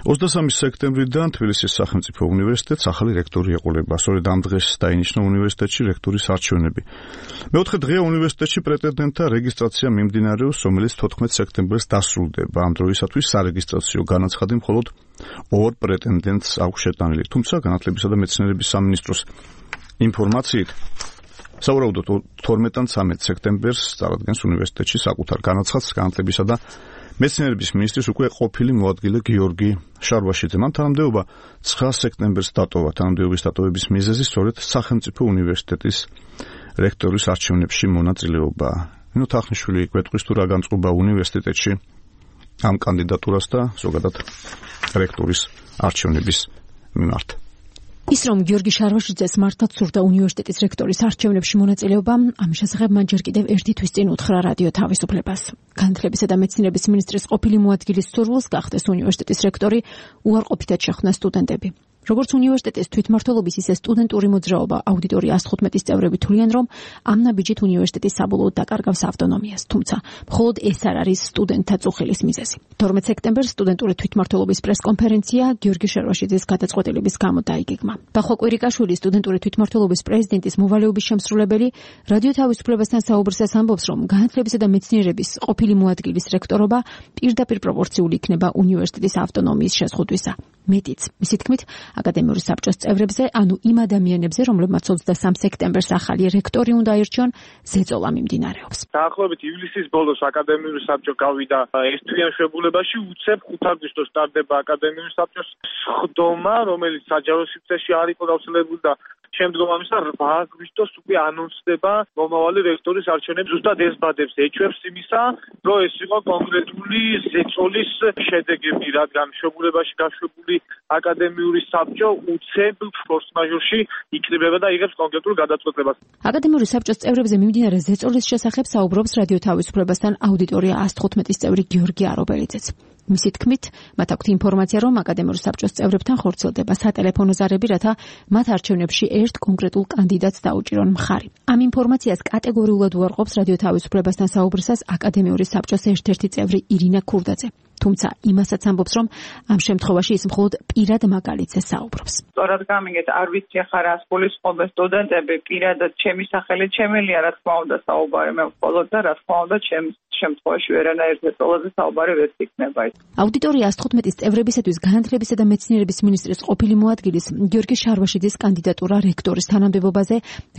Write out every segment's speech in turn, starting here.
23 სექტემბრიდან თბილისის სახელმწიფო უნივერსიტეტს ახალი რექტორი ეყოლება. სწორედ ამ დღეს დაინიშნა უნივერსიტეტში რექტორის არჩევნები. მეოთხე დღეა უნივერსიტეტში პრეტენდენტთა რეგისტრაცია მიმდინარეობს, რომელიც 14 სექტემბერს დასრულდება. ამ დროისათვის სარეგისტრაციო განაცხადი მხოლოდ 2 პრეტენდენტს აქვს შეტანილი. თუმცა განათლებისა და მეცნიერების სამინისტროს ინფორმაციით სავარაუდოდ 12-დან 13 სექტემბერს წარადგენს უნივერსიტეტში საკუთარ განაცხადს განათლებისა და მეცნიერების მინისტრის უკვე ყოფილი მოადგილე გიორგი შარვაშიძე. მან თანამდებობა 9 სექტემბერს დატოვა. თანამდებობის დატოვების მიზეზი სწორედ სახელმწიფო უნივერსიტეტის რექტორის არჩევნებში მონაწილეობა. ნინო თახნიშვილი გვეტყვის თუ რა განწყობა უნივერსიტეტში ამ კანდიდატურას და ზოგადად რექტორის არჩევნების მიმართ. ის რომ გიორგი შარვაშიძეს მართლაც სურდა უნივერსიტეტის რექტორის არჩევნებში მონაწილეობა, ამის შესახებ მან ჯერ კიდევ ერთი თვის წინ უთხრა რადიო თავისუფლებას. განათლებისა და მეცნიერების მინისტრის ყოფილი მოადგილის სურვილს გახდეს უნივერსიტეტის რექტორი უარყოფითად შეხვნა სტუდენტები. როგორც უნივერსიტეტის თვითმმართველობის, ისე სტუდენტური მოძრაობა აუდიტორია 115-ის წევრები თვლიან, რომ ამ ნაბიჯით უნივერსიტეტი საბოლოოდ დაკარგავს ავტონომიას, თუმცა მხოლოდ ეს არ არის სტუდენტთა წუხილის მიზეზი. 12 სექტემბერს სტუდენტური თვითმმართველობის პრესკონფერენცია გიორგი შარვაშიძის გადაწყვეტილების გამო დაიგეგმა. ბახვა კვირიკაშვილი, სტუდენტური თვითმმართველობის პრეზიდენტის მოვალეობის შემსრულებელი, რადიო თავისუფლებასთან საუბრისას ამბობს, რომ განათლებისა და მეცნიერების ყოფილი მოადგილის რექტორობა პირდაპირ პროპორციული იქნება უნივერსიტეტის ავტონომიის შეზღუდვისა. მეტიც, მისი თქმით, აკადემიური საბჭოს წევრებზე, ანუ იმ ადამიანებზე, რომლებმაც 23 სექტემბერს ახალი რექტორი უნდა აირჩიონ, ზეწოლა მიმდინარეობს. დაახლოებით ივლისის ბოლოს აკადემიური საბჭო გავიდა ერთთვიან შეგულებაში, უცებ 5 აგვისტოს სტარტდება აკადემიური საბჭოს სხდომა, რომელიც საჯარო სივრცეში არ იყო გავრცელებული და შემდგომ ამისა 8 აგვისტოს უკვე ანონსდება მომავალი რექტორის არჩევნები. ზუსტად ეს ბადებს ეჩვევს იმისა, რომ ეს იყო კონკრეტული ზეწოლის შედეგები, რადგან შეგულებაში გაშვებული აკადემიური საბჭო უცებ ფორს-მაჟორში იქნებება და იღებს კონკრეტულ გადაწყვეტილებას. აკადემიური საბჭოს წევრებზე მიმდინარე ზეწოლის შესახებ საუბრობს რადიო თავისუფლებასთან აუდიტორია 115-ის წევრი გიორგი არობელიძეც. მისი თქმით, მათ აქვთ ინფორმაცია, რომ აკადემიური საბჭოს წევრებთან ხორციელდება სატელეფონო ზარები, რათა მათ არჩევნებში ერთ კონკრეტულ კანდიდატს დაუჭირონ მხარი. ამ ინფორმაციას კატეგორიულად უარყოფს რადიო თავისუფლებასთან საუბრისას აკადემიური საბჭოს ერთ-ერთი წევრი ირინა ქურდაძე. თუმცა იმასაც ამბობს, რომ ამ შემთხვევაში ის მხოლოდ პირად მაგალითზე საუბრობს. სწორად გამიგეთ, არ ვიცი ახლა რას გულისხმობენ სტუდენტები, პირადად ჩემი სახელით შემელია, რა თქმა უნდა, საუბარი მე მხოლოდ და რა თქმა უნდა, ჩემს შემთხვევაში ვერანაირ ზეწოლაზე საუბარი ვერ იქნება. აუდიტორია 115-ის წევრებისათვის განათლებისა და მეცნიერების მინისტრის ყოფილი მოადგილის გიორგი შარვაშიძის კანდიდატურა რექტორის თანამდებობაზე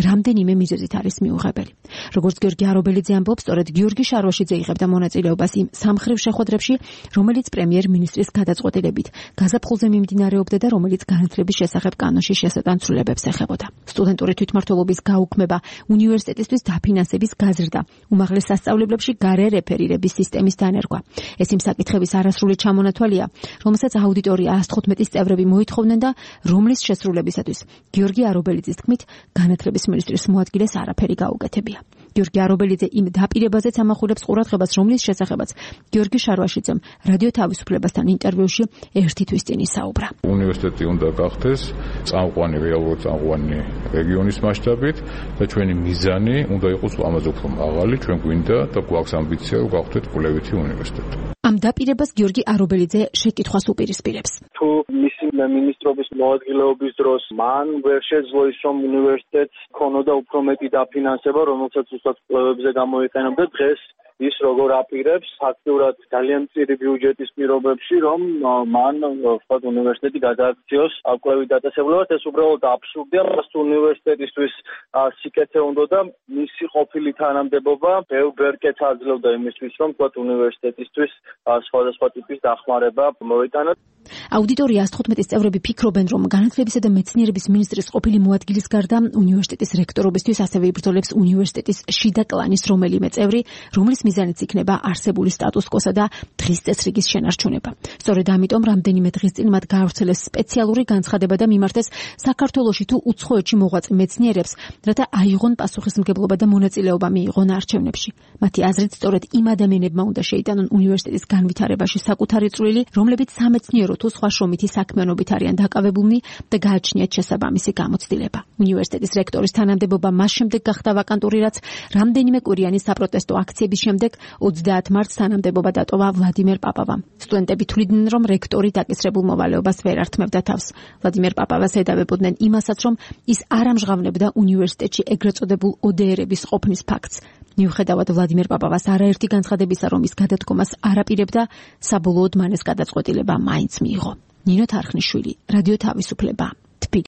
რამდენიმე მიზეზით არის მიუღებელი. როგორც გიორგი არობელიძე ამბობს, სწორედ გიორგი შარვაშიძე იღებდა მონაწილეობას იმ სამხრივ შეხვედრებში, რომელიც პრემიერ-მინისტრის გადაწყვეტილებით გაზაფხულზე მიმდინარეობდა და რომელიც განათლების შესახებ კანონში შესატანცრულებებს ეხებოდა. სტუდენტური თვითმმართველობის გაუქმება, უნივერსიტეტისთვის დაფინანსების გაზრდა, უმაღლეს სასწავლებლებში გარერეფერირების სისტემის დანერგვა. ეს იმ საკითხების არასრული ჩამონათვალია, რომელსაც აუდიტორია 115-ის წევრები მოითხოვდნენ და რომლის შესრულებისათვის გიორგი არობელიძის თქმით, განათლების მინისტრის მოადგილეს არაფერი გაუკეთებია. გიორგი არობელიძე იმ დაპირებაზეც ამახვილებს ყურადღებას, რომლის შესახებაც გიორგი შარვაშიძემ რადიო თავისუფლებასთან ინტერვიუში ერთი თვის წინ ისაუბრა. უნივერსიტეტი უნდა გახდეს წამყვანი, რეალურად წამყვანი რეგიონის მასშტაბით და ჩვენი მიზანი უნდა იყოს ამაზე უფრო მაღალი, ჩვენ გვინდა და გვაქვს ამბიცია, რომ გავხდეთ კვლევითი უნივერსიტეტი. ამ დაპირებას გიორგი არობელიძე შეკითხვას უპირისპირებს. თუ მისი მინისტრობის მოადგილეობის დროს მან ვერ შეძლო ის, რომ უნივერსიტეტს ქონოდა უფრო მეტი დაფინანსება, რომელსაც უბრალოდ კვლევებზე გამოიყენებდა, დღეს ის როგორ აპირებს აქტიურად ძალიან მწირი ბიუჯეტის პირობებში, რომ მან ვთქვათ უნივერსიტეტი გადააქციოს კვლევით დაწესებულებად, ეს უბრალოდ აბსურდია. მას უნივერსიტეტისთვის სიკეთე უნდა და მისი ყოფილი თანამდებობა ბევრ კეთს აძლევდა იმისთვის, რომ ვთქვათ უნივერსიტეტისთვის სხვადასხვა ტიპის დახმარება მოიტანა. აუდიტორია 115-ის წევრები ფიქრობენ, რომ განათლებისა და მეცნიერების მინისტრის ყოფილი მოადგილის გარდა უნივერსიტეტის რექტორობისთვის ასევე იბრძოლებს უნივერსიტეტის შიდა კლანის რომელიმე წევრი, რომლის მიზანიც იქნება არსებული სტატუს-კვოსა და დღის წესრიგის შენარჩუნება. სწორედ ამიტომ რამდენიმე დღის წინ მათ გაავრცელეს სპეციალური განცხადება და მიმართეს საქართველოში თუ უცხოეთში მოღვაწე მეცნიერებს, რათა აიღონ პასუხისმგებლობა და მონაწილეობა მიიღონ არჩევნებში. მათი აზრით, სწორედ იმ ადამიანებმა უნდა შეიტანონ უნივერსიტეტის განვითარებაში საკუთარი წვლილი, რომლებიც სამეცნიერო თუ სხვა შრომითი საქმიანობით არიან დაკავებულნი და გააჩნიათ შესაბამისი გამოცდილება. უნივერსიტეტის რექტორის თანამდებობა მას შემდეგ გახდა ვაკანტური, რაც რამდენიმე კვირიანი საპროტესტო აქციების შემდეგ 30 მარტს თანამდებობა დატოვა ვლადიმერ პაპავამ. სტუდენტები თვლიდნენ, რომ რექტორი დაკისრებულ მოვალეობას ვერ ართმევდა თავს. ვლადიმერ პაპავას ედავებოდნენ იმასაც, რომ ის არ ამჟღავნებდა უნივერსიტეტში ეგრეთ წოდებულ ODR-ების ყოფნის ფაქტს. მიუხედავად ვლადიმერ პაპავას არაერთი განცხადებისა, რომ ის გადადგომას არ აპირებდა, საბოლოოდ მან ეს გადაწყვეტილება მაინც მიიღო. ნინო თარხნიშვილი, რადიო თავისუფლება.